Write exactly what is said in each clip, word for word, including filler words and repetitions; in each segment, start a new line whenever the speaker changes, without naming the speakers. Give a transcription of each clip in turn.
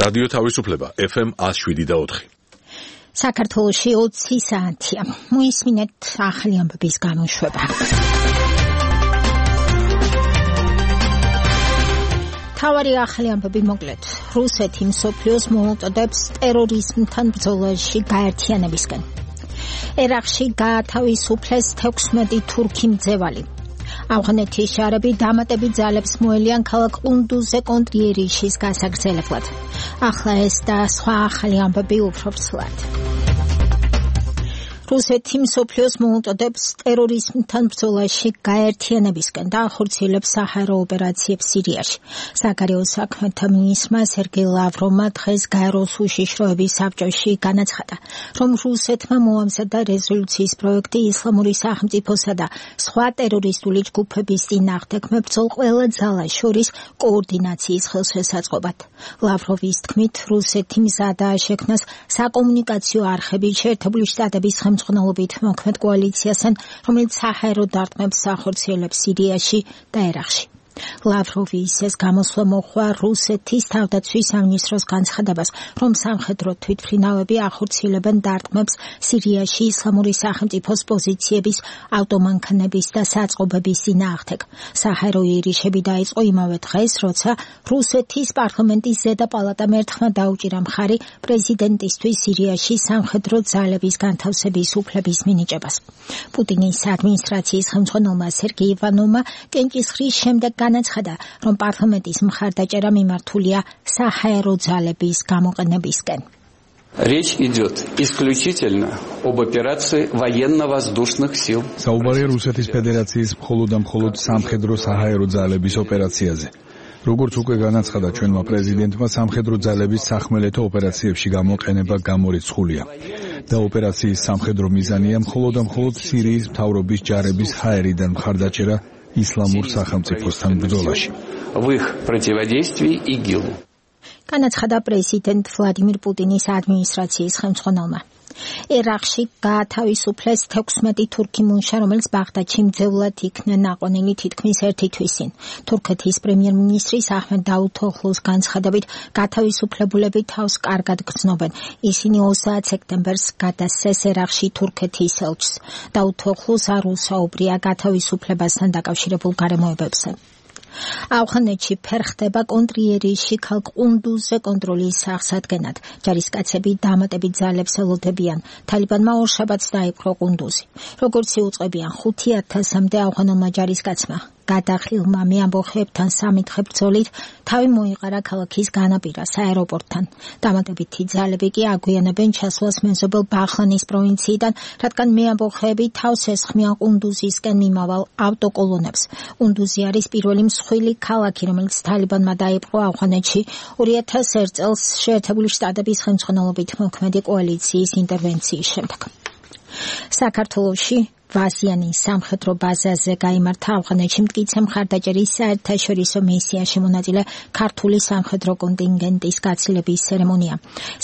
რადიო თავისუფლება ეფ ემ one oh seven და four.
საქართველოში ოცი საათია. მოისმინეთ ახალი ამბების გამოშვება. თავარი ახალი ამბები მოკლედ. რუსეთი მსოფლიოს მოუწოდებს ტერორიზმთან ბრძოლაში გაერთიანებისკენ. ერაყში გაათავისუფლეს თექვსმეტი თურქი მძევალი. ავღანეთის შარები დამატებით ძალებს მოელიან ქალაქ ყუნდუზზე კონტრიერიშის გასაგრძელებლად. ახლა ეს და სხვა ახალი ამბები უფრო ცვლად. რუსეთი მსოფლიოს მოუწოდებს ტერორიზმთან ბრძოლაში გაერთიანებისკენ და ახორციელებს საჰაერო ოპერაციებს სირიაში. საგარეო საქმეთა მინისტრმა სერგეი ლავროვმა დღეს გაეროს უშიშროების საბჭოში განაცხადა, რომ რუსეთმა მოამზადა რეზოლუციის პროექტი ისლამური სახელმწიფოსა და სხვა ტერორისტული ჯგუფების წინააღმდეგ მებრძოლ ყველა ძალას შორის კოორდინაციის ხელშესაწყობად. ლავროვის თქმით, რუსეთი მზადაა შექმნას საკომუნიკაციო არხები შეერთებული შტატების ხელმძღვანელობით მოქმედ კოალიციასთან, რომელიც საჰაერო დარტყმებს ახორციელებს სირიაში და ერაყში. ლავროვის ეს გამოსვლა მოჰყვა რუსეთის თავდაცვის სამინისტროს განცხადებას, რომ სამხედრო თვითმფრინავები ახორციელებენ დარტყმებს სირიაში ისლამური სახელმწიფოს პოზიციების, ავტომანქანების და საწყობების წინააღმდეგ. საჰაერო იერიშები დაიწყო იმავე დღეს, როცა რუსეთის პარლამენტის ზედა პალატამ ერთხმა დაუჭირა მხარი პრეზიდენტისთვის სირიაში სამხედრო ძალების განთავსების უფლების მინიჭებას. პუტინის ადმინისტრაციის ხელმძღვანელმა სერგეი ივანოვმა კენჭისყრის შემდეგ განაცხადა, რომ პარლამენტის მხარდაჭერა მიმართულია საჰაერო ძალების გამოყენებისკენ.
Речь идет исключительно об операции военно-воздушных сил.
საუბარია რუსეთის ფედერაციის მხოლოდ და მხოლოდ სამხედრო საჰაერო ძალების ოპერაციაზე. როგორც უკვე განაცხადა ჩვენმა პრეზიდენტმა, სამხედრო ძალების სახმელეთო ოპერაციებში გამოყენება გამორიცხულია და ოპერაციის სამხედრო მიზანია მხოლოდ და მხოლოდ სირიის მთავრობის ჯარების ჰაერიდან მხარდაჭერა ისლამურ სახელმწიფოსთან ბრძოლაში.
В их противодействии ИГИЛу.
განაცხადა პრეზიდენტ ვლადიმირ პუტინის ადმინისტრაციის ხელმძღვანელმა. ერაყში გაათავისუფლეს თექვსმეტი თურქი მუშა, რომელიც ბაღდადში მძევლად იქნა ნაყვანილი თითქმის ერთი თვის წინ. თურქეთის პრემიერ-მინისტრის აჰმედ დაუთოღლუს განცხადებით, გათავისუფლებულები თავს კარგად გრძნობენ. ისინი ოცდაათ სექტემბერს გადასცეს ერაყში თურქეთის ელჩს. დაუთოღლუს არ უსაუბრია გათავისუფლებასთან დაკავშირებულ გარემოებებზე. ავღანეთში ფერხდება კონტრიერიში ქალაქ ყუნდუზზე კონტროლის სახსადგენად. ჯარისკაცები დამატებით ძალებს ელოდებიან. თალიბანმა ორშაბათს დაიპყრო ყუნდუზი. როგორც იუწყებიან ხუთი ათასამდე ავღანელმა ჯარისკაცმა გადახილმა მეამბოხეებთან სამითხე ბრძოლით თავი მოიყარა ქალაქის განაპირას აეროპორტთან. დამატებითი ძალები კი აგვიანებენ ჩასვლას მეზობელ ბაღლანის პროვინციიდან, რადგან მეამბოხეები თავს ესხმიან ყუნდუზისკენ მიმავალ ავტოკოლონებს. ყუნდუზი არის პირველი მსხვილი ქალაქი, რომელიც თალიბანმა დაიპყრო ავღანეთში ორი ათას ერთ წელს შეერთებული შტატების ხელმძღვანელობით მოქმედი კოალიციის ინტერვენციის შემდეგ. საქართველოში ვაზიანის სამხედრო ბაზაზე გაიმართა ავღანეთში მტკიცე მხარდაჭერის საერთაშორისო მისიაში მონაწილე ქართული სამხედრო კონტინგენტის გაცილების ცერემონია.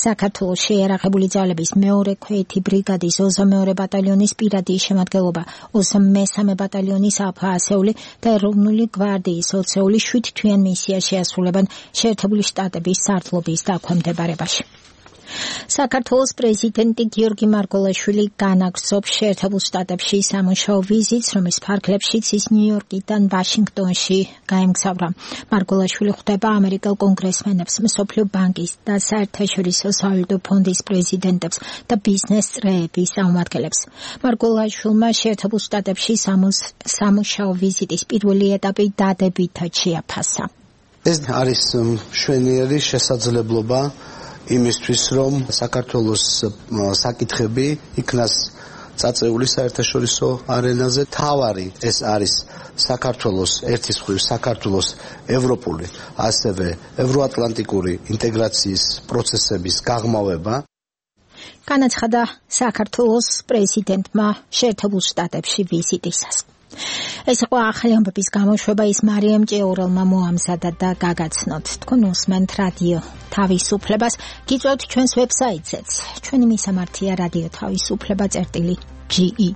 საქართველოში ერაღებული ძალების მეორე ქვეითი ბრიგადის ოცდამეორე ბატალიონის პირადი შემადგენლობა, ოცდამესამე ბატალიონის ალფა ასეული და ეროვნული გვარდიის ოცეული შვიდ თვიან მისიაში ასრულებენ შეერთებული შტატების სარდლობის დაქვემდებარებაში. საქართველოს პრეზიდენტი გიორგი მარგველაშვილი განაგრძობს შეერთებულ შტატებში სამუშაო ვიზიტს, რომლის ფარგლებშიც ის ნიუ-იორკიდან ვაშინგტონში გაემგზავრა. მარგველაშვილი ხვდება ამერიკელ კონგრესმენებს, მსოფლიო ბანკის და საერთაშორისო სავალუტო ფონდის პრეზიდენტებს და ბიზნეს წრეების წარმომადგენლებს. მარგველაშვილმა შეერთებულ შტატებში სამუშაო ვიზიტის პირველი ეტაპი დადებითად შეაფასა.
ეს არის მშვენიერი შესაძლებლობა იმისთვის, რომ საქართველოს საკითხები იქნას წაწეული საერთაშორისო არენაზე. თავარი ეს არის საქართველოს ერთის მხრივ საქართველოს ევროპული, ასევე ევროატლანტიკური ინტეგრაციის პროცესების გაღრმავება.
განაცხადა საქართველოს პრეზიდენტმა შეერთებულ შტატებში ვიზიტისას. ეს იყო ახალი ამბების გამოშვება, ის მარიამ ჭეურელმა მოამზადა და გაგაცნოთ. თქვენ უსმენთ რადიო თავისუფლებას, გიწევთ ჩვენს ვებსაიტზეც. ჩვენი მისამართია რადიო თავისუფლება წერტილი ჯი ი.